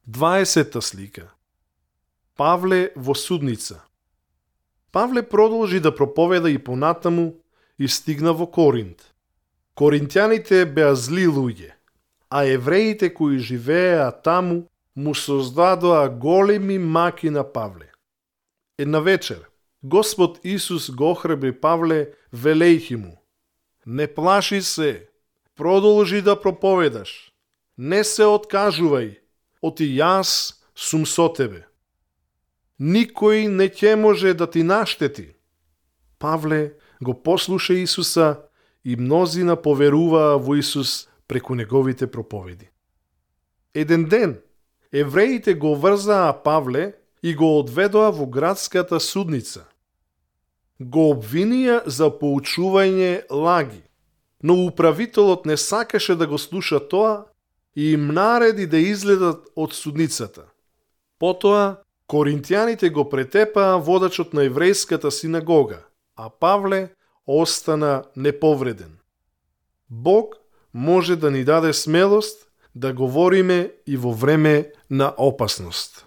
20-та слика. Павле во судница. Павле продолжи да проповеда и понатаму и стигна во Коринт. Коринтјаните беа зли луѓе, а евреите кои живееа таму му создадоа големи маки на Павле. Една вечер, Господ Исус го охрабри Павле, велејќи му: не плаши се, продолжи да проповедаш, не се откажувај, оти јас сум со тебе. Никој не ќе може да ти наштети. Павле го послуша Исуса и мнозина поверуваа во Исус преку неговите проповеди. Еден ден, евреите го врзаа Павле и го одведоа во градската судница. Го обвинија за поучување лаги, но управителот не сакаше да го слуша тоа и им нареди да излезат од судницата. Потоа, коринтјаните го претепаа водачот на еврејската синагога, а Павле остана неповреден. Бог може да ни даде смелост да говориме и во време на опасност.